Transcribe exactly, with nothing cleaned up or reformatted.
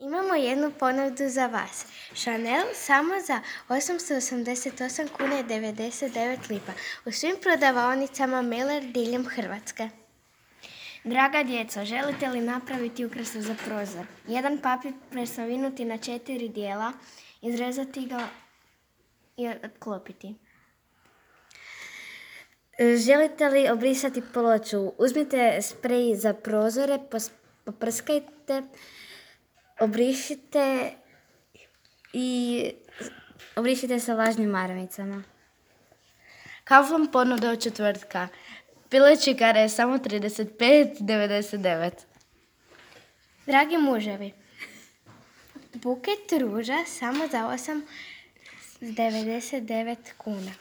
Imamo jednu ponudu za vas. Chanel samo za osamsto osamdeset osam kuna i devedeset devet lipa u svim prodavaonicama Miller diljem Hrvatske. Draga djeco, želite li napraviti ukrasu za prozor? Jedan papir presavinuti na četiri dijela, izrezati ga i otklopiti. Želite li obrisati ploču? Uzmite sprej za prozore, poprskajte, obrišite i obrišite sa vlažnim marmicama. Kaufland ponuda od četvrtka. Pileći kare samo trideset pet devedeset devet. Dragi muževi, buket ruža samo za osam devedeset devet kuna.